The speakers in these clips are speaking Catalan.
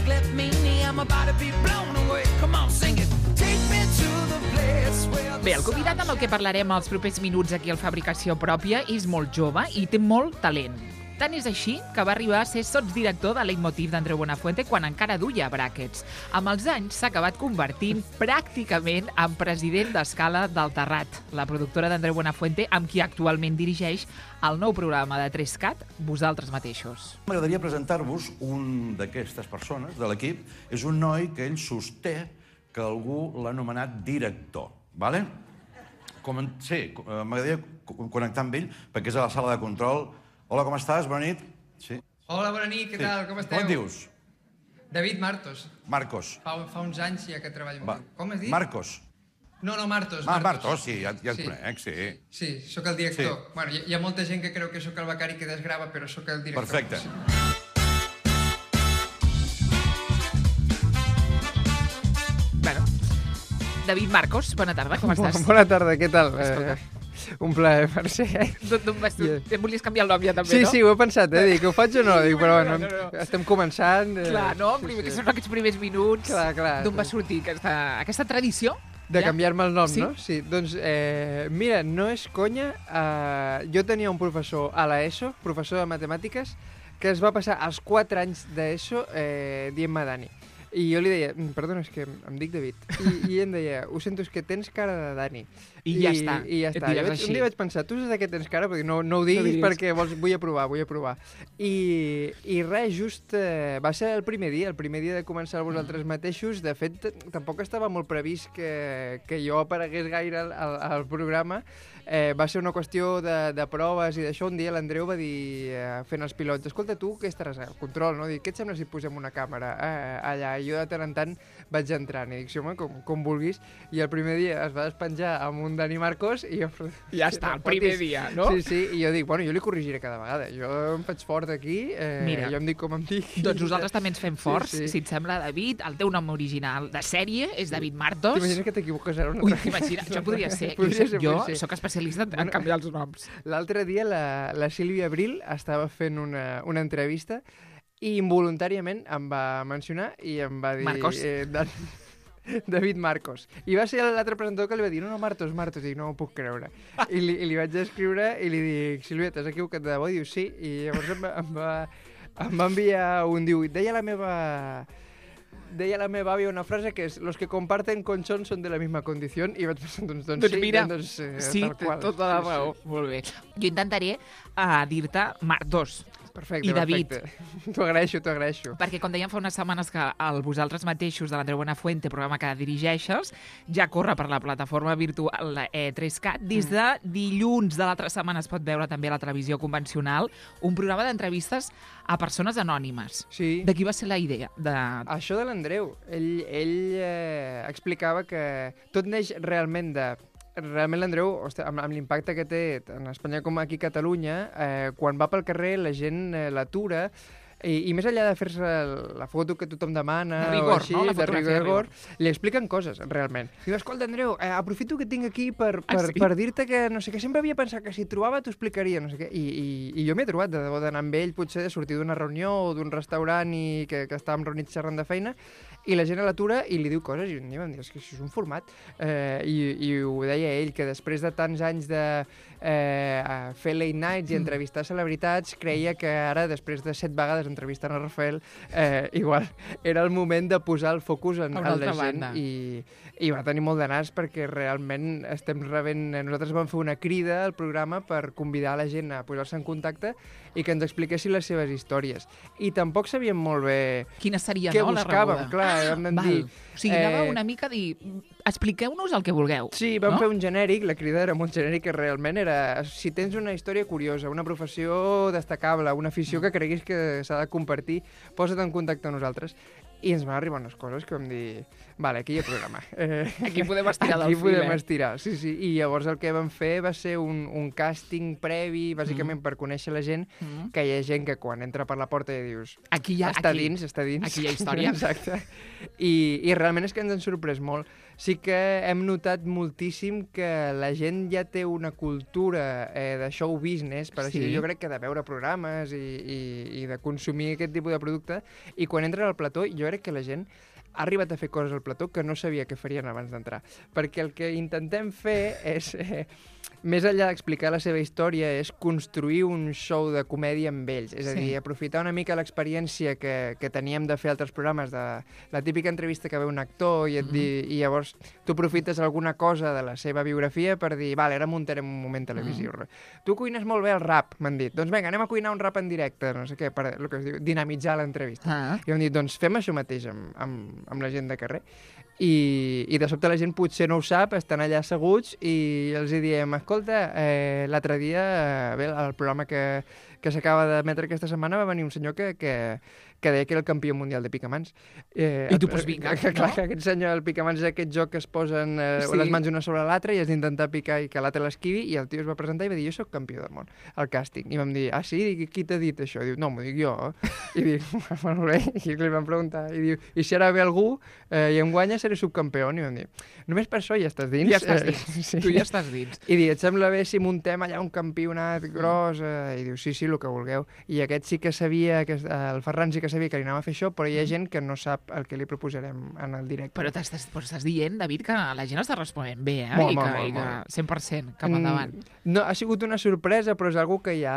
music left me near, I'm about to be blown away. Come on, sing it. Take me to the place where... Bé, el convidat amb el que parlarem els propers minuts aquí al Fabricació Pròpia és molt jove i té molt talent. Tant és així que va arribar a ser sotsdirector de Leitmotiv d'Andreu Buenafuente quan encara duia bràquets. Amb els anys s'ha acabat convertint pràcticament en president d'Escala del Terrat, la productora d'Andreu Buenafuente, amb qui actualment dirigeix el nou programa de 3CAT, Vosaltres mateixos. M'agradaria presentar-vos un d'aquestes persones de l'equip. És un noi que ell sosté que algú l'ha anomenat director. Vale? Sí, m'agradaria connectar amb ell perquè és a la sala de control. Hola, com estàs? Bona nit. Sí. Hola, bona nit, què tal? Com esteu? Com et dius? David Martos. Marcos. Fa uns anys ja que treballo amb tu. Com has dit? Marcos. No, Martos. Martos, sí, ja et conec, sí. Sí, sóc el director. Sí. Bueno, hi ha molta gent que creu que sóc el becari que desgrava, però sóc el director. Perfecte. Sí. Bueno, David Marcos, bona tarda, com estàs? Bona tarda, què tal? Escolta. Un plaer, Mercè. D'on vas tu? Em volies canviar el nom ja també, Sí, no? sí, ho he pensat, dic, ho faig o no? Dic, però bueno, No. estem començant. Clar, no? Que són aquests primers minuts. Clar. D'on va sortir aquesta tradició? De Ja? canviar-me el nom, Sí? no? Sí, doncs, mira, no és conya, jo tenia un professor a l'ESO, professor de matemàtiques, que es va passar els 4 anys d'ESO dient-me Dani. I jo li deia, perdona, és que em dic David. I em deia, ho sento, és que tens cara de Dani. I ja està. I ja Et està. diràs Un així. dia vaig pensar, tu saps de què tens cara? Perquè no ho diguis perquè vull aprovar. I res, just va ser el primer dia de començar vosaltres mateixos. De fet, tampoc estava molt previst que jo aparegués gaire al programa. Va ser una qüestió de proves i d'això. Un dia l'Andreu va dir, fent els pilots, escolta, tu que estaràs al control, no? Dic, què et sembla si posem una càmera allà? I jo de tant en tant vaig entrant i dic, sí, home, com vulguis. I el primer dia es va despenjar amb un Dani Marcos i jo... Ja està, el primer dia, no? Sí, i jo dic, bueno, jo li corregiré cada vegada. Jo em faig fort aquí, Mira, jo em dic com em dic. Doncs nosaltres també ens fem forts. Sí. Si et sembla, David, el teu nom original de sèrie és David Martos. T'imagines que t'equivoques ara? Ui, t'imagines, això podria ser. Jo sóc especialista en canviar els noms. L'altre dia la Sílvia Abril estava fent una entrevista i involuntàriament em va mencionar i em va dir... Marcos. David Marcos. I va ser l'altre presentador que li va dir, no, Martos, i dic, no m'ho puc creure. I li vaig escriure i li dic, Sílvia, t'has equivocat de debò? I diu, sí. I llavors em va enviar un diu, deia la meva àvia una frase que és los que comparten colchón son de la misma condición i vaig pensar, doncs sí, mira, sí, tal qual. tota la raó. Molt bé. Jo intentaré dir-te Martos. Perfecte, I David. perfecte. T'ho agraeixo. Perquè, com dèiem fa unes setmanes que el Vosaltres mateixos de l'Andreu Buenafuente, programa que dirigeixes, ja corre per la plataforma virtual 3CAT. Des de dilluns de l'altra setmana es pot veure també a la televisió convencional un programa d'entrevistes a persones anònimes. Sí. De qui va ser la idea? Això de l'Andreu, ell explicava que tot neix realment l'Andreu, amb l'impacte que té en Espanya com aquí a Catalunya, quan va pel carrer la gent l'atura i més enllà de fer-se la foto que tothom demana, de rigor, o així, no? La de rigor, li expliquen coses, realment. Diu, escolta, Andreu, aprofito que tinc aquí per dir-te que, no sé què, sempre havia pensat que si et trobava t'ho explicaria, no sé què, i jo m'he trobat, de debò, d'anar amb ell, potser de sortir d'una reunió o d'un restaurant i que estàvem reunits xerrant de feina, i la gent a l'atura i li diu coses, i vam dir, és que això és un format. I ho deia ell, que després de tants anys de fer late nights i entrevistar celebritats, creia que ara, després de 7 vegades entrevistant a Rafael, igual era el moment de posar el focus en la gent i va tenir molt de nas perquè realment estem rebent... Nosaltres vam fer una crida al programa per convidar la gent a posar-se en contacte i que ens expliquessin les seves històries. I tampoc sabíem molt bé quina seria, què no, la buscàvem, rebuda. clar, vam dir... O sigui, anava una mica a dir, expliqueu-nos el que vulgueu. Sí, vam fer un genèric, la crida era molt genèric, que realment era, si tens una història curiosa, una professió destacable, una afició que creguis que s'ha de compartir, posa't en contacte amb nosaltres. I ens van arribar unes coses que vam dir, vale, aquí hi ha programa. Aquí podem estirar del fil. Aquí podem fil, estirar, sí. I llavors el que vam fer va ser un càsting previ, bàsicament per conèixer la gent, que hi ha gent que quan entra per la porta ja dius Aquí hi ha, està aquí, dins. aquí hi ha història. Exacte. I realment és que ens han sorprès molt. Sí que hem notat moltíssim que la gent ja té una cultura de show business, per així Sí. dir, jo crec que de veure programes i de consumir aquest tipus de producte, i quan entren al plató jo crec que la gent ha arribat a fer coses al plató que no sabia que farien abans d'entrar. Perquè el que intentem fer és, més enllà d'explicar la seva història, és construir un show de comèdia amb ells. És a Sí. dir, aprofitar una mica l'experiència que teníem de fer altres programes, de la típica entrevista que ve un actor i i llavors tu aprofites alguna cosa de la seva biografia per dir, vale, ara muntarem un moment televisiu. Tu cuines molt bé el rap, m'han dit. Doncs vinga, anem a cuinar un rap en directe, no sé què, per el que es diu, dinamitzar l'entrevista. Ah. I hem dit, doncs fem això mateix amb la gent de carrer. I de sobte la gent potser no ho sap, estan allà asseguts i els hi diem, escolta, l'altre dia, bé, al programa que s'acaba d'emetre aquesta setmana va venir un senyor que deia que era el campió mundial de picamans. I tu, doncs vinga, Clar, no? que aquest senyor, el picamans és aquest joc que es posen Sí. les mans una sobre l'altra i has d'intentar picar i que l'altre l'esquivi, i el tio es va presentar i va dir, jo sóc campió del món, al càsting. I vam dir, ah, sí? Dic, qui t'ha dit això? Diu, no, m'ho dic jo. I dic, molt bé. I li vam preguntar, i diu, i si ara ve algú i em guanya, seré subcampió. I vam dir, només per això ja estàs dins. Ja estàs dins. Sí. Tu ja estàs dins. I diu, et sembla bé si muntem allà un campionat gros? I diu, sí, el que vulgueu. I aquest sí que sabia, el Ferran sí que sabia que li anava a fer això, però hi ha gent que no sap el que li proposarem en el directe. Però estàs dient, David, que la gent està responent bé, eh? Molt, I molt, que, molt. 100% cap endavant. No, ha sigut una sorpresa, però és algo que ja...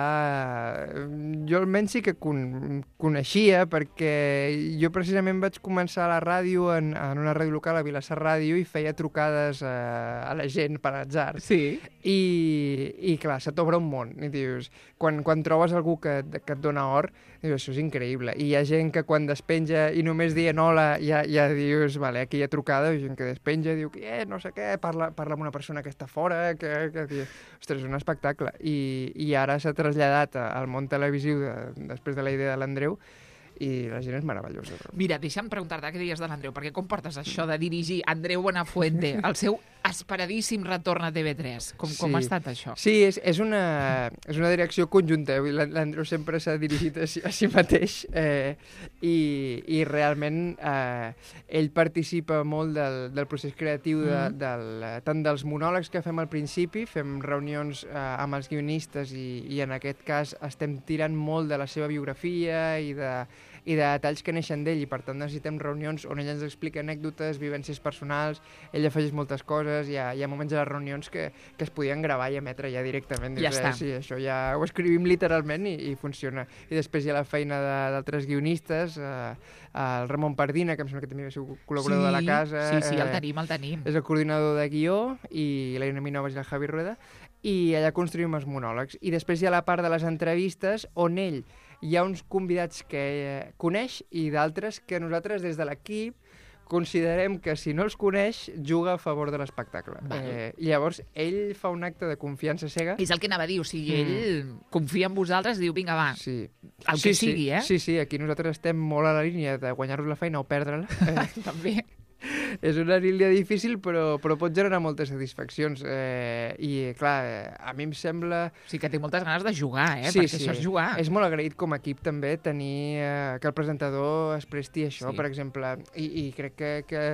Jo almenys sí que coneixia, perquè jo precisament vaig començar a la ràdio, en una ràdio local, a Vilassar Ràdio, i feia trucades a la gent per atzar. Sí. I clar, se t'obre un món. I dius, quan trobes algú que et dona or, dius, això és increïble. I hi ha gent que quan despenja i només dient hola, ja dius, vale, aquí hi ha trucada, hi ha gent que despenja, diu, no sé què, parla amb una persona que està fora, que diu, ostres, és un espectacle. I ara s'ha traslladat al món televisiu després de la idea de l'Andreu, i la gent és meravellosa. Mira, deixa'm preguntar-te què diries de l'Andreu, perquè com portes això de dirigir Andreu Buenafuente, el seu esperadíssim retorn a TV3? Com ha estat això? Sí, és una direcció conjunta. L'Andreu sempre s'ha dirigit a si mateix i realment ell participa molt del procés creatiu tant dels monòlegs que fem al principi, fem reunions amb els guionistes i en aquest cas estem tirant molt de la seva biografia i de detalls que neixen d'ell, i per tant necessitem reunions on ell ens explica anècdotes, vivències personals, ell afegeix moltes coses, hi ha moments a les reunions que es podien gravar i emetre ja directament. Ja està. Sí, això ja ho escrivim literalment i funciona. I després hi ha la feina d'altres guionistes, el Ramon Pardina, que em sembla que també va ser col·laborador de la casa. Sí, el tenim. És el coordinador de guió, i la Irene Minovas i el Javi Rueda, i allà construïm els monòlegs. I després hi ha la part de les entrevistes on ell hi ha uns convidats que coneix i d'altres que nosaltres des de l'equip considerem que si no els coneix juga a favor de l'espectacle. Llavors ell fa un acte de confiança cega. És el que anava a dir, o sigui, ell confia en vosaltres i diu, vinga, va, sí. el que sigui, eh? Sí, aquí nosaltres estem molt a la línia de guanyar-nos la feina o perdre-la. També. És una línia difícil, però pot generar moltes satisfaccions. I, clar, a mi em sembla... O sigui que té moltes ganes de jugar, perquè això és jugar. És molt agraït com a equip també tenir que el presentador es presti a això, per exemple. I crec que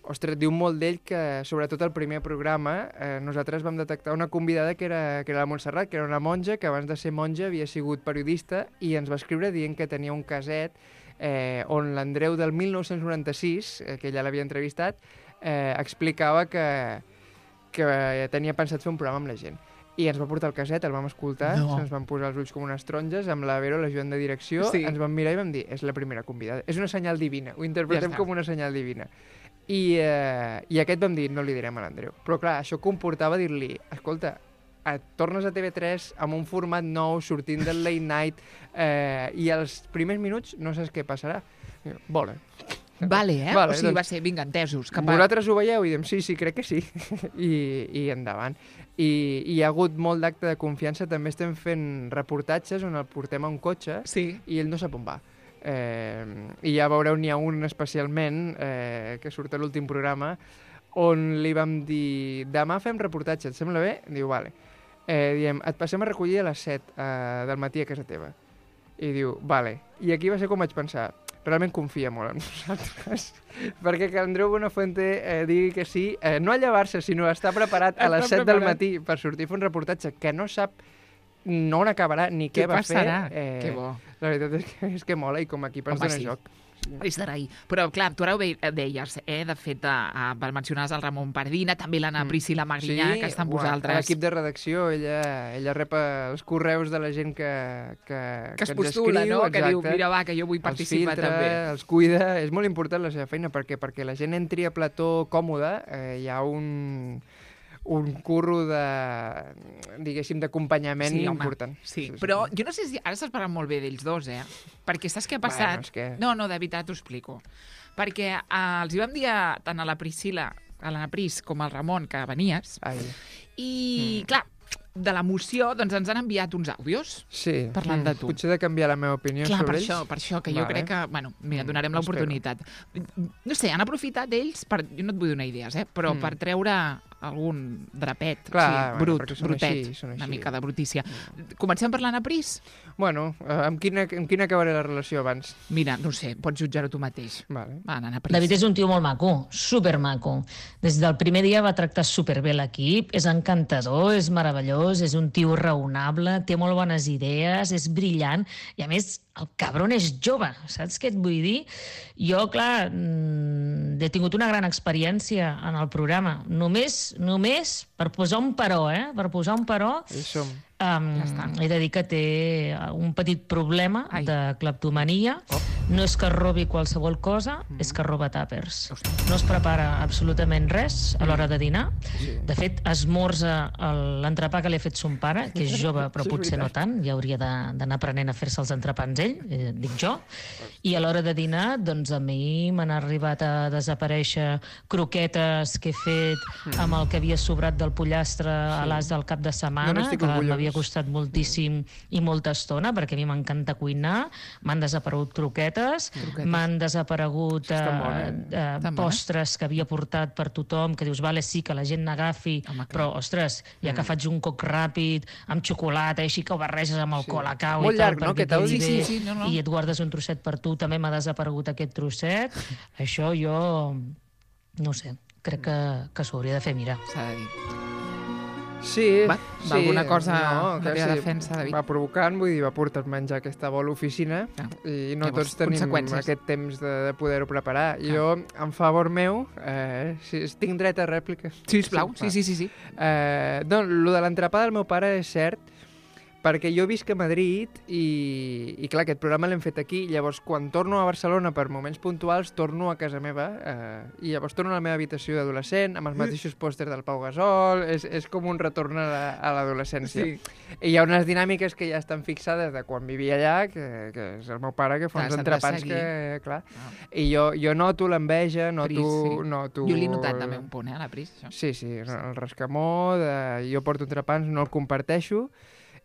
ostres, diu molt d'ell que, sobretot al primer programa, nosaltres vam detectar una convidada que era la Montserrat, que era una monja, que abans de ser monja havia sigut periodista, i ens va escriure dient que tenia un caset on l'Andreu del 1996, que ella l'havia entrevistat, explicava que tenia pensat fer un programa amb la gent. I ens va portar el caset, el vam escoltar, se'ns van posar els ulls com unes taronges, amb la Vero, l'ajudant de direcció, ens vam mirar i vam dir, és la primera convidada. És una senyal divina, ho interpretem com una senyal divina. I aquest vam dir, no li direm a l'Andreu. Però clar, això comportava dir-li, escolta, et tornes a TV3 amb un format nou, sortint del late night, i als primers minuts no saps què passarà. Vale, o sigui, va ser, vinga, entesos. Vosaltres ho veieu? I diem, sí, crec que sí. I endavant. I hi ha hagut molt d'acte de confiança. També estem fent reportatges on el portem a un cotxe i ell no sap on va. I ja veureu, n'hi ha un especialment que surt a l'últim programa on li vam dir, demà fem reportatge, et sembla bé? Diu, vale. diem, et passem a recollir a les 7 del matí a casa teva. I diu, vale. I aquí va ser com vaig pensar, realment confia molt en nosaltres, perquè que Andreu Buenafuente digui que sí, no a llevar-se, sinó a estar preparat a les 7 del matí per sortir a fer un reportatge que no sap no on acabarà ni què va fer. Que bo. La veritat és que mola i com a equip ens dona joc. És d'agrair. Però, clar, tu ara ho deies, de fet, mencionaves el Ramon Pardina, també l'Anna Priscila Magrinyà, que està amb vosaltres. L'equip de redacció, ella rep els correus de la gent que es postula, no? Que diu, mira, va, que jo vull participar també. Els cuida, és molt important la seva feina, perquè la gent entri a plató còmode, hi ha un curro diguéssim, d'acompanyament important. Sí, però jo no sé si ara s'has parlat molt bé d'ells dos, perquè saps què ha passat? No, de veritat, t'ho explico. Perquè els hi vam dir tant a la Priscila, a l'Anna Pris, com al Ramon, que venies, i, clar, de l'emoció, doncs ens han enviat uns àudios parlant de tu. Potser he de canviar la meva opinió sobre ells. Per això, que jo crec que, bueno, mira, donarem l'oportunitat. No sé, han aprofitat ells, jo no et vull donar idees, però per treure algun drapet, brutet, una mica de brutícia. Comencem per l'Anna Pris? Bueno, amb quina acabaré la relació abans? Mira, no sé, pots jutjar-ho tu mateix. Vale. Va, Anna Pris. David és un tio molt maco, supermaco. Des del primer dia va tractar superbé l'equip, és encantador, és meravellós, és un tio raonable, té molt bones idees, és brillant, i a més, el cabron és jove, saps què et vull dir? Jo, clar, he tingut una gran experiència en el programa. Només per posar un però, per posar un però, he de dir que té un petit problema de cleptomania. No és que robi qualsevol cosa, és que roba tàpers. No es prepara absolutament res a l'hora de dinar. De fet, esmorza l'entrepà que li ha fet son pare, que és jove però potser no tant, ja hauria d'anar aprenent a fer-se els entrepans ell, dic jo. I a l'hora de dinar, doncs a mi m'han arribat a desaparèixer croquetes que he fet amb el que havia sobrat del pollastre a l'as del cap de setmana, que m'havia costat moltíssim i molta estona, perquè a mi m'encanta cuinar. M'han desaparegut croquetes, m'han desaparegut postres que havia portat per tothom, que dius, vale, sí, que la gent n'agafi, però, ostres, ja que faig un coc ràpid, amb xocolata, així que ho barreges amb el colacao i tal, perquè quedi bé, i et guardes un trosset per tu, també m'ha desaparegut aquest trosset. Això jo, no sé, crec que s'ho hauria de fer mirar. S'ha de dir. Sí. Va alguna cosa de la teva defensa, David? Va provocant, vull dir, va portar menjar aquesta bola a l'oficina i no tots tenim aquest temps de poder-ho preparar. Jo, en favor meu, tinc dret a rèplica. Sisplau, sí. Doncs, el de l'entrepà del meu pare és cert, perquè jo visc a Madrid i clar, aquest programa l'hem fet aquí, llavors quan torno a Barcelona per moments puntuals torno a casa meva i llavors torno a la meva habitació d'adolescent amb els mateixos pòsters del Pau Gasol, és com un retorn a l'adolescència. I hi ha unes dinàmiques que ja estan fixades de quan vivia allà, que és el meu pare que fa uns entrepans que, clar, i jo noto l'enveja, noto... Jo l'he notat també un punt, a la Pris, això. Sí, el rescamó, jo porto entrepans, no el comparteixo,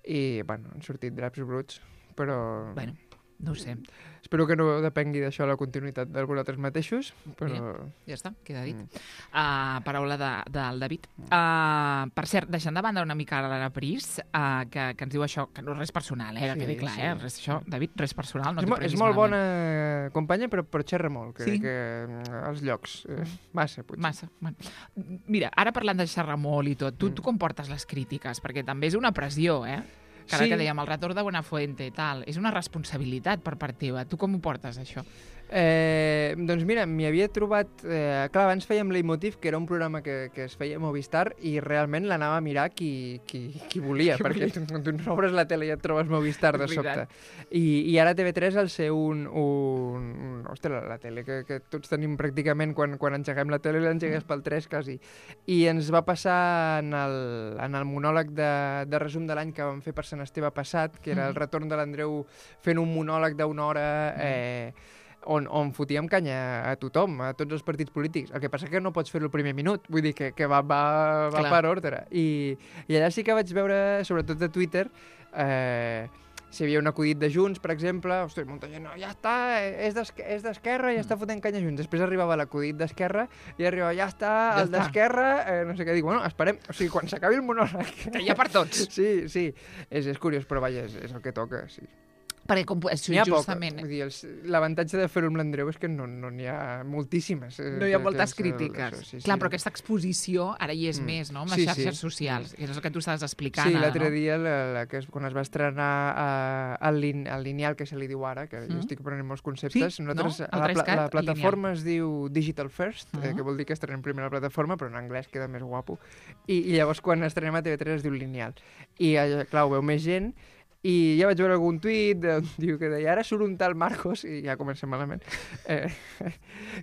i, bueno, han sortit draps bruts, però... Bueno, no ho sé. Espero que no depengui d'això la continuïtat de vosaltres mateixos, però... Mira, ja està, queda dit. Paraula del David. Per cert, deixant de banda una mica l'Anna Pris, que ens diu això, que no és res personal, que quedi clar, res, això, David, res personal, no t'ho preguis malament. És molt bona companya, però xerra molt, que als llocs. Massa, potser. Massa. Mira, ara parlant de xerrar molt i tot, tu com portes les crítiques? Perquè també és una pressió, que ara que dèiem, el retorn de Buenafuente i tal, és una responsabilitat per part teva. Tu com ho portes, això? Doncs mira, m'hi havia trobat... clar, abans fèiem Leitmotiv, que era un programa que es feia a Movistar, i realment l'anava a mirar qui volia, perquè tu obres la tele i et trobes Movistar de sobte. I ara TV3 al ser Ostres, la tele que tots tenim pràcticament quan engeguem la tele, l'engegues pel 3 quasi. I ens va passar en el monòleg de resum de l'any que vam fer per Sant Esteve passat, que era el retorn de l'Andreu fent un monòleg d'una hora... on fotíem canya a tothom, a tots els partits polítics. El que passa que no pots fer-ho al primer minut, vull dir que va per ordre. I allà sí que vaig veure, sobretot a Twitter, si hi havia un acudit de Junts, per exemple, ostres, molta gent, no, ja està, és d'Esquerra, ja està fotent canya Junts. Després arribava l'acudit d'Esquerra i arribava, ja està, el d'Esquerra, no sé què, dic, bueno, esperem, o sigui, quan s'acabi el monòleg... Que hi ha per tots. Sí, és curiós, però vaja, és el que toca, sí. Perquè N'hi ha justament... poc, vull dir, l'avantatge de fer-ho amb l'Andreu és que no n'hi ha moltíssimes. No hi ha moltes crítiques. Sí. Clar, però aquesta exposició ara hi és més, no? Amb les xarxes socials. I és el que tu estaves explicant. Sí, ara, l'altre no? dia, quan es va estrenar el lineal, que se li diu ara, que jo estic aprenent molts conceptes, nosaltres, la plataforma es diu Digital First, que vol dir que estrenem primer la plataforma, però en anglès queda més guapo. I llavors, quan estrenem a TV3 es diu lineal. I, clar, ho veu més gent, i ja vaig veure algun tuit, diu que deia, ara surt un tal Marcos, i ja comencem malament,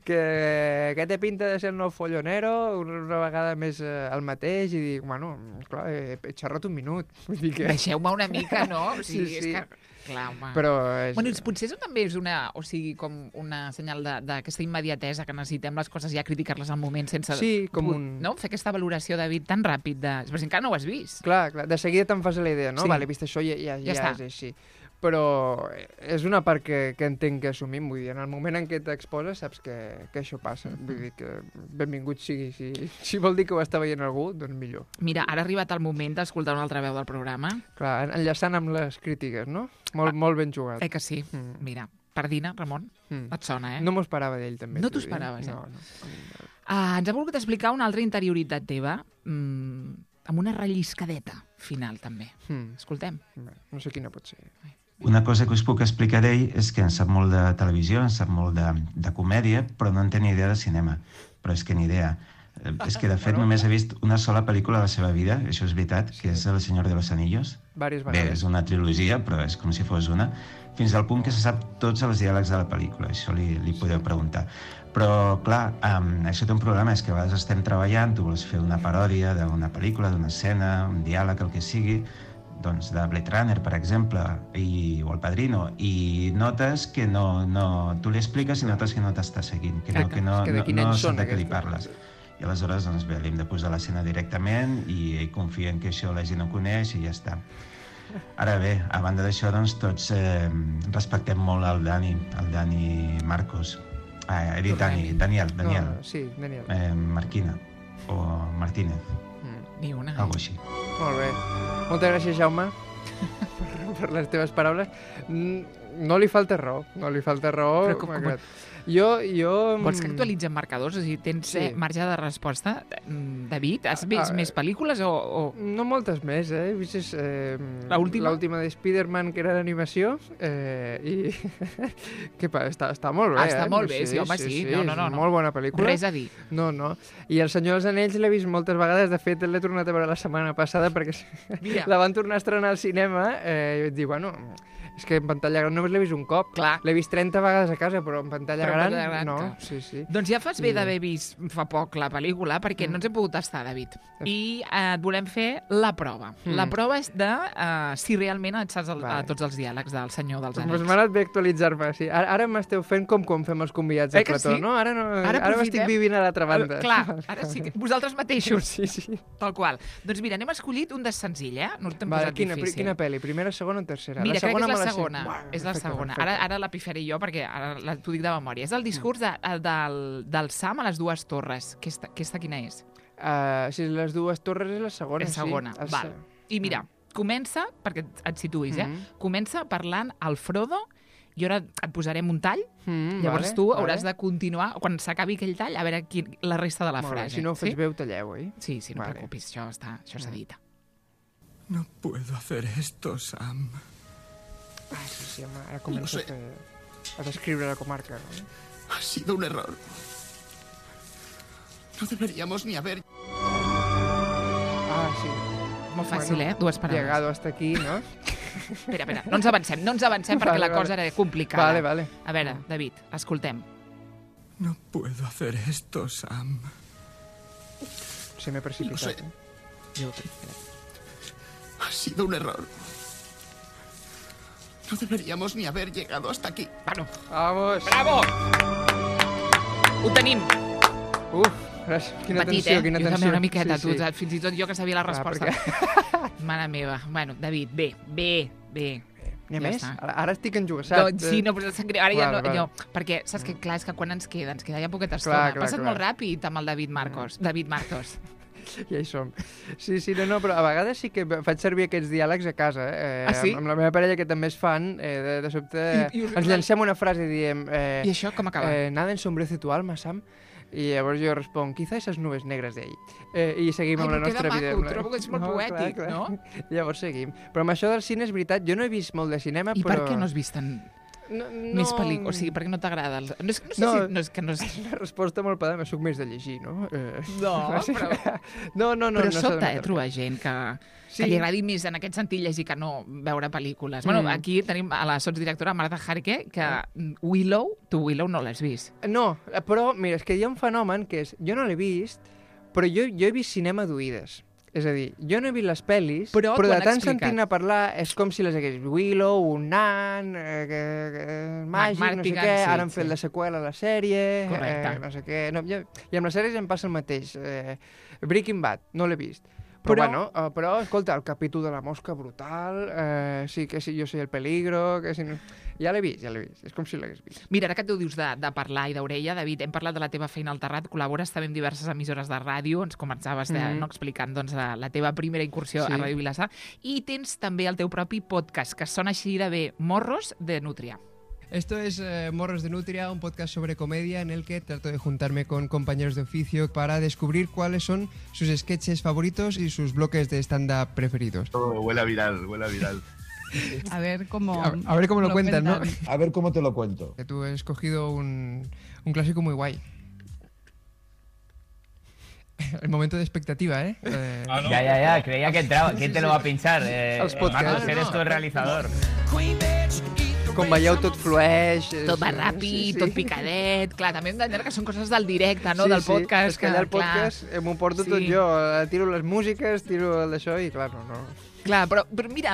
que té pinta de ser el nou follonero, una vegada més el mateix, i dic, bueno, clar, he xerrat un minut. Vull dir que... Deixeu-me una mica, no? O sigui, Sí. és que... Clar, home. Però Bueno, potser això també és com una senyal d'aquesta immediatesa que necessitem les coses ja criticar-les al moment sense... Sí, com no? Fer aquesta valoració, David, tan ràpid. Però si encara no ho has vist. Clar, de seguida te'n fas la idea, no? Sí. Vale, vist això ja està. és així. Però és una part que entenc que assumim, vull dir, en el moment en què t'exposes saps que això passa. Vull dir que benvingut sigui. Si vol dir que ho està veient algú, doncs millor. Mira, ara ha arribat el moment d'escoltar una altra veu del programa. Clar, enllaçant amb les crítiques, no? Molt ben jugat. Que sí? Mira, Pardina, Ramon, et sona, No m'ho esperava d'ell, també. No t'ho esperaves, No. Ens ha volgut explicar una altra interioritat teva, amb una relliscadeta final, també. Escoltem. No sé quina pot ser. Una cosa que us puc explicar d'ell és que en sap molt de televisió, en sap molt de comèdia, però no en té ni idea de cinema. Però és que ni idea. És que, de fet, només he vist una sola pel·lícula de la seva vida, això és veritat, que és El Senyor de los Anillos. Vàries Bé, vegades. és una trilogia, però és com si fos una, fins al punt que se sap tots els diàlegs de la pel·lícula. Això li podeu preguntar. Però, clar, això té un problema, és que a vegades estem treballant, tu vols fer una paròdia d'una pel·lícula, d'una escena, un diàleg, el que sigui, doncs de Blade Runner, per exemple, o El Padrino, i notes que tu li expliques i notes que no t'està seguint, que no sap de què li parles. I aleshores, doncs bé, li hem de posar l'escena directament i ell confia en que això la gent no coneix i ja està. Ara bé, a banda d'això, doncs tots respectem molt el Dani Marcos. He dit Daniel. No, sí, Daniel. Marquina o Martínez. Ni una. Algo així. Molt bé. Moltes gràcies, Jaume, per les teves paraules. No li falta raó, Però com... Jo... Vols que actualitzem marcadors? O sigui, tens marge de resposta? David, has vist més pel·lícules o...? No moltes més, He vist l'última? L'última de Spider-Man, que era d'animació, i... Què passa? Està molt bé, Està molt bé, sí, home, sí. No. Molt bona pel·lícula. Res a dir. No. I El Senyor dels Anells l'he vist moltes vegades. De fet, l'he tornat a veure la setmana passada perquè la van tornar a estrenar al cinema i vaig dir, bueno... És que en pantalla gran només l'he vist un cop. Clar. L'he vist 30 vegades a casa, però en pantalla gran no. Sí. Doncs ja fas bé d'haver vist fa poc la pel·lícula, perquè no ens hem pogut estar, David. I et volem fer la prova. La prova és de si realment et saps tots els diàlegs del Senyor dels Anells. Doncs m'ha anat bé actualitzar-me. Sí. Ara m'esteu fent com quan fem els convidats al plató, no? Ara m'estic vivint a l'altra banda. Clar, ara sí, vosaltres mateixos. Sí. Tal qual. Doncs mira, n'hem escollit un de senzill, No t'hem posat difícil. Quina pel·li? Primera, segona o tercera? Mira, crec que és la segona. Bueno, és la segona. Ara la pifaré jo perquè ara t'ho dic de memòria. És el discurs del Sam a les dues torres. Aquesta quina és? Si les dues torres és la segona, és segona, val. I mira, comença, perquè et situïs, comença parlant al Frodo i ara et posarem un tall, llavors tu hauràs de continuar, quan s'acabi aquell tall, a veure la resta de la frase. Si no ho fes bé, ho talleu, oi? Sí, no et preocupis, això s'edita. No puedo hacer esto, Sam. Sí, home, ara comença a descriure la comarca, ¿no? Ha sido un error. No deberíamos ni haber... Sí. Molt fàcil, Dues paraules. Llegado hasta aquí, ¿no? Espera, no ens avancem perquè la cosa era complicada. Vale. A veure, David, escoltem. No puedo hacer esto, Sam. Se m'he precipitat. Ha sido un error. No deberíamos ni haber llegado hasta aquí. Bueno, vamos. Bravo! Ho tenim. Gràcies. Quina Petit, tensió, quina tensió. Jo també una miqueta, tu, fins i tot jo que sabia la resposta. Mare meva. Bueno, David, bé. N'hi ha Ja més? està. Ara estic enjugassat. Sí, no, però sap greu. Ara ja Val, no, val. jo, perquè saps que clar, és que quan ens queda ja poqueta Clar, estona. clar, Passat clar. molt ràpid amb el David Marcos. Ja hi som. Sí, no, però a vegades sí que faig servir aquests diàlegs a casa. Ah, sí? Amb la meva parella, que també és fan, de sobte ens llancem una frase i diem... I això com acaba? Nada ensombrece tu alma, Sam. I llavors jo responc, quizá esas nubes negres de ahí. I seguim amb la nostra vida. Trobo que és molt poètic, clar. no? Llavors seguim. Però amb això del cine és veritat, jo no he vist molt de cinema, I però... per què no has vist més pel·lícules? O sigui, per què no t'agrada? No sé si... No és que no és... Una resposta molt pedant, soc més de llegir, no? No, però... No, Però no sobta, trobar gent que li agradi més en aquest sentit llegir que no veure pel·lícules. Bueno, aquí tenim a la sotsdirectora Marta Jarque, que tu Willow no l'has vist. No, però, mira, és que hi ha un fenomen que és... Jo no l'he vist, però jo he vist cinema d'oïdes. És a dir, jo no he vist les pel·lis, però de tant sentint-ne parlar és com si les hagués vist. Willow, un nan, màgic, no sé què, ara han fet la seqüela a la sèrie, no sé què... I amb les sèries em passa el mateix. Breaking Bad, no l'he vist. Però, escolta, el capítol de la mosca brutal, sí, que si jo soy el peligro, que si no... Ja l'he vist, és com si l'hagués vist. Mira, ara que tu dius de parlar i d'orella, David, hem parlat de la teva feina al Terrat, col·labores també en diverses emissores de ràdio, ens començaves explicant doncs, la teva primera incursió a Ràdio Vilassar, i tens també el teu propi podcast, que sona així de bé, Morros de Nútria. Esto es Morros de Nutria, un podcast sobre comedia en el que trato de juntarme con compañeros de oficio para descubrir cuáles son sus sketches favoritos y sus bloques de stand-up preferidos. Huele a viral. A ver cómo lo cuentas, ¿no? A ver cómo te lo cuento. Que tú has escogido un clásico muy guay. El momento de expectativa, ¿eh? No. Ya, creía que entraba. ¿Quién te lo va a pinchar? Marcos, eres tú el realizador. Com veieu, tot flueix... Tot va ràpid, tot picadet... Clar, també hem d'entendre que són coses del directe, no? Del podcast. És que allà al podcast m'ho porto tot jo. Tiro les músiques, tiro el d'això i, clar, no... Clar, però mira,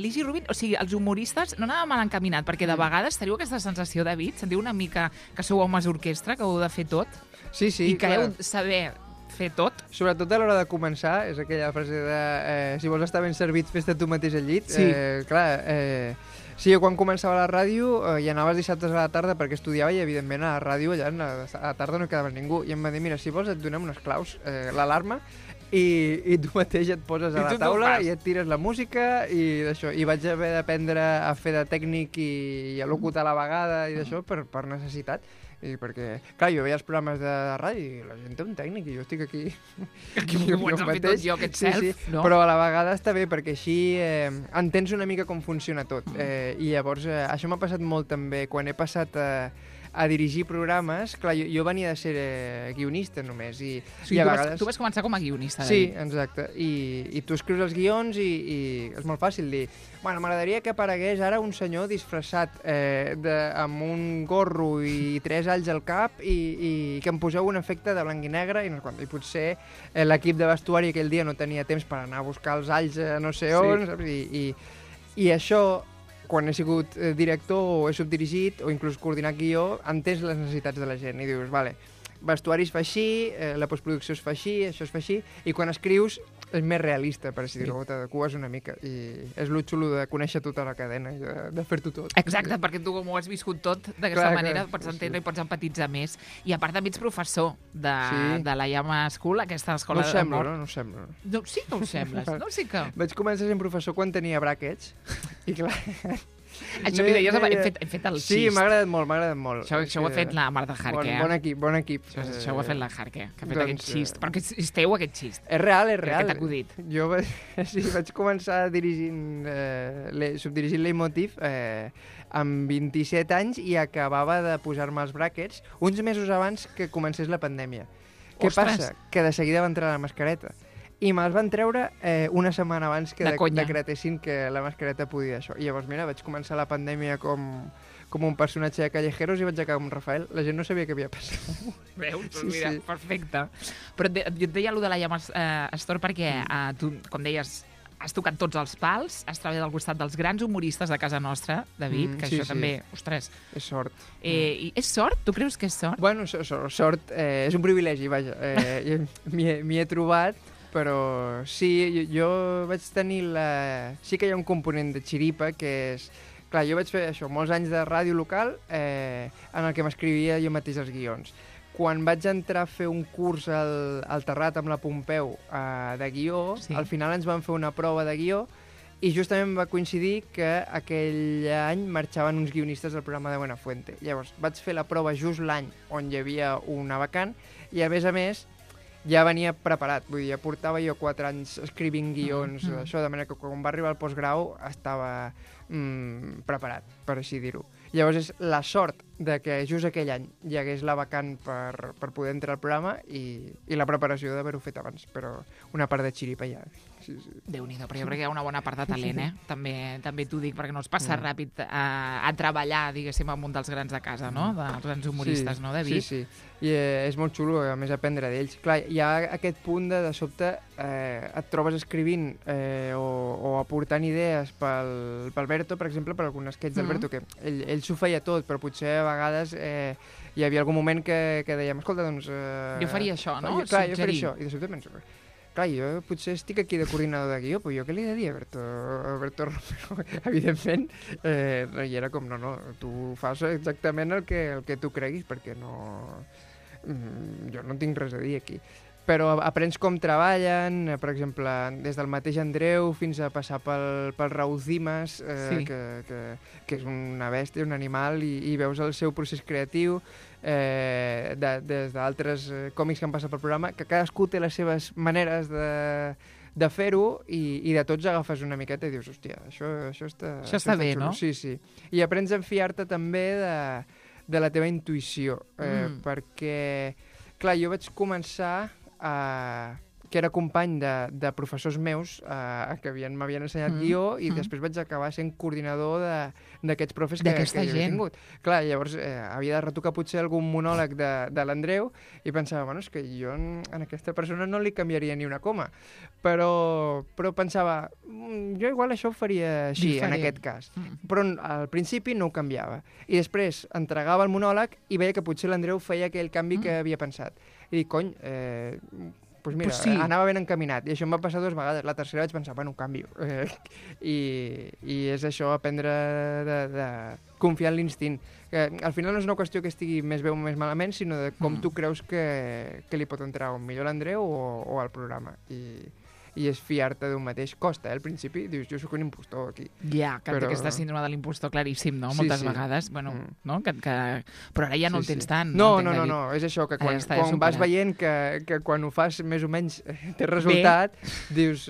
l'Igi Rubin, o sigui, els humoristes no anava mal encaminat, perquè de vegades teniu aquesta sensació, David, sentiu una mica que sou homes orquestra, que heu de fer tot, sí, i que heu de saber fer tot. Sobretot a l'hora de començar, és aquella frase de si vols estar ben servit, fes-te tu mateix al llit. Sí. Sí, jo quan començava la ràdio hi anava els dissabtes a la tarda perquè estudiava i, evidentment, a la ràdio allà a la tarda no quedava ningú. I em va dir, mira, si vols et donem unes claus, l'alarma, i tu mateix et poses a la taula i et tires la música i d'això. I vaig haver d'aprendre a fer de tècnic i a locutar a la vegada i d'això per necessitat. I perquè, clar, jo veia els programes de ràdio i la gent té un tècnic i jo estic aquí ho ets fet tot jo, aquest self, no? Però a la vegada està bé perquè així entens una mica com funciona tot. I llavors això m'ha passat molt també quan he passat a dirigir programes. Clar, jo venia de ser guionista només. I a vegades... Tu vas començar com a guionista, David. Sí, exacte. I tu escrius els guions i és molt fàcil dir bueno, m'agradaria que aparegués ara un senyor disfressat amb un gorro i 3 alls al cap i que em poseu un efecte de blanc i negre i potser l'equip de vestuari aquell dia no tenia temps per anar a buscar els alls no sé on, saps? I això, quan he sigut director o he subdirigit o inclús coordinat guió, entens les necessitats de la gent i dius, vale, vestuari es fa així, la postproducció es fa així, això es fa així, i quan escrius és més realista, per així dir-ho, t'adeques una mica. I és lo xulo de conèixer tota la cadena i de fer-t'ho tot. Exacte, perquè tu com ho has viscut tot d'aquesta manera pots entendre i pots empatitzar més. I a part també ets professor de la Llama School, aquesta escola d'amor. No ho sembla. No, sí que ho sembles, no? Sí que... Vaig començar sent professor quan tenia bràquets i clar... Això que deies, hem fet el xist. Sí, m'ha agradat molt. Això ho ha fet la Marta Jarque. Bon equip. Això ho ha fet la Jarque, que ha fet aquest xist. Perquè és teu, aquest xist. És real. Que t'ha acudit. Jo vaig començar subdirigint Leitmotiv amb 27 anys i acabava de posar-me els bràquets uns mesos abans que comencés la pandèmia. Què passa? Que de seguida va entrar la mascareta. I me'ls van treure una setmana abans que decretessin que la mascareta podia això. I llavors, mira, vaig començar la pandèmia com un personatge de Callejeros i vaig acabar amb Rafael. La gent no sabia què havia passat. Veus? Mira, perfecte. Però jo et deia allò de la Llama Store perquè tu, com deies, has tocat tots els pals, has treballat al costat dels grans humoristes de casa nostra, David, que això també, ostres... És sort. És sort? Tu creus que és sort? Bueno, sort és un privilegi, vaja. M'hi he trobat... però sí, jo vaig tenir sí que hi ha un component de xiripa, que és... Clar, jo vaig fer això, molts anys de ràdio local en el que m'escrivia jo mateix els guions. Quan vaig entrar a fer un curs al Terrat amb la Pompeu de guió, al final ens van fer una prova de guió i justament va coincidir que aquell any marxaven uns guionistes del programa de Buenafuente. Llavors, vaig fer la prova just l'any on hi havia una vacant i, a més, ja venia preparat. Vull dir, ja portava jo 4 anys escrivint guions, això, de manera que quan va arribar al postgrau estava preparat, per així dir-ho. Llavors és la sort de que just aquell any hi hagués la vacant per poder entrar al programa i la preparació d'haver-ho fet abans, però una part de xiripa ja. Sí. Déu-n'hi-do, però jo crec que hi ha una bona part de talent, També t'ho dic, perquè no es passa ràpid a treballar, diguéssim, amb un dels grans de casa, no? Dels grans humoristes, no, David? Sí. I és molt xulo, a més, aprendre d'ells. Clar, hi ha aquest punt de sobte, et trobes escrivint o aportant idees pel Berto, per exemple, per algun sketch del Berto, que ell s'ho feia tot, però potser a vegades hi havia algun moment que dèiem, escolta, doncs... Jo faria això, no? Clar, jo faria això. I de sobte penso, clar, jo potser estic aquí de coordinador de guió, però jo què li he de dir a Berto Romero? Evidentment, i era com, no, tu fas exactament el que tu creguis, perquè jo no tinc res a dir aquí. Però aprens com treballen, per exemple, des del mateix Andreu fins a passar pel Raúl Dimas, que és una bèstia, un animal, i veus el seu procés creatiu, des d'altres còmics que han passat pel programa, que cadascú té les seves maneres de fer-ho i de tots agafes una miqueta i dius, hòstia, això està bé, xulo. No? Sí. I aprens a fiar-te també de la teva intuïció, perquè, clar, jo vaig començar que era company de professors meus que m'havien ensenyat guió i després vaig acabar sent coordinador d'aquests profes que jo havia tingut. Clar, llavors havia de retocar potser algun monòleg de l'Andreu i pensava, bueno, és que jo en aquesta persona no li canviaria ni una coma, però pensava, jo igual això ho faria així, en aquest cas. Però al principi no ho canviava. I després entregava el monòleg i veia que potser l'Andreu feia aquell canvi que havia pensat. I dic, cony, doncs mira, anava ben encaminat. I això em va passar 2 vegades. La tercera vaig pensar, bueno, canvio. I és això, aprendre de confiar en l'instint. Al final no és una qüestió que estigui més bé o més malament, sinó de com tu creus que li pot entrar millor a l'Andreu o al programa. I és fiar-te d'un mateix. Costa, al principi, dius, jo sóc un impostor aquí. Ja, que té aquesta síndrome de l'impostor claríssim, no? Moltes vegades, bueno, no? Però ara ja no el tens tant. No, és això, que quan vas veient que quan ho fas més o menys té resultat, dius,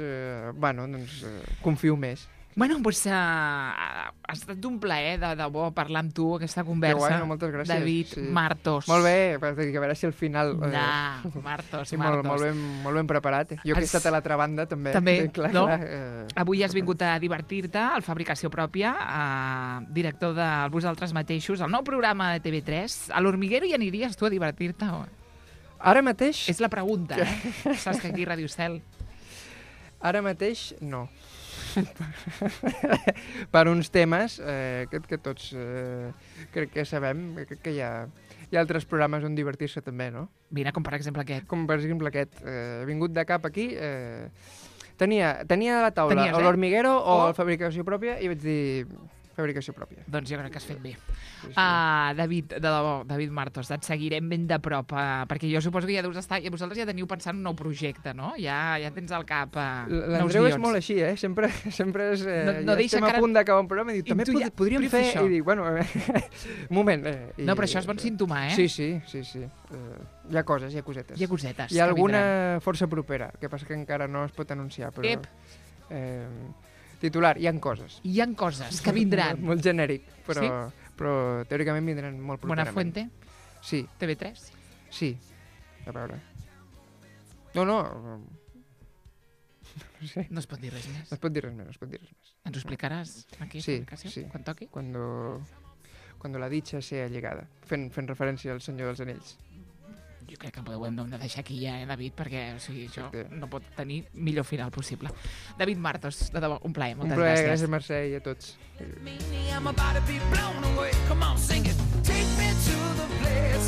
bueno, doncs confio més. Bueno, doncs ha estat un plaer, de debò, parlar amb tu, aquesta conversa. Que guai, moltes gràcies. David Martos. Molt bé, a veure si al final... Martos. Molt ben preparat. Jo que he estat a l'altra banda, també. També, clar, no? Clar, Avui has vingut a divertir-te, al Fabricació Pròpia, director de Vosaltres Mateixos, el nou programa de TV3. A l'Hormiguero hi aniries tu a divertir-te? Ara mateix... És la pregunta, Saps que aquí Ràdio Cel... Ara mateix, no. Per uns temes que tots crec que sabem, crec que hi ha altres programes on divertir-se també, no? Mira, com per exemple aquest. Com per exemple aquest. He vingut de cap aquí, tenia a la taula o l'Hormiguero o la Fabricació Pròpia i vaig dir Fabricació Pròpia. Doncs jo crec que has fet bé. David, de debò, David Martos, et seguirem ben de prop, perquè jo suposo que ja deus estar, i vosaltres ja teniu pensant un nou projecte, no? Ja tens al cap nous guions. L'Andreu és molt així, sempre és... No deixa estem a punt d'acabar un programa i diu, també podríem fer això. I dic, bueno, un moment. No, però això és bon símptoma, Sí. Hi ha coses, hi ha cosetes. Hi ha cosetes. Hi ha alguna força propera, que passa que encara no es pot anunciar, però... Titular, hi ha coses. Hi ha coses que vindran. Molt genèric, però teòricament vindran molt properament. Buenafuente? Sí. TV3? Sí. A veure. No sé. No es pot dir res més. No es pot dir res més. Ens ho explicaràs aquí, sí, quan toqui? Cuando la dicha sea llegada. Fent referència al Senyor dels Anells. Jo crec que ho hem de deixar aquí ja, David, perquè això no pot tenir millor final possible. David Martos, de debò, un plaer, moltes gràcies. Gràcies, Mercè, i a tots. I'm about to be blown away. Come on, sing it. Take me to the place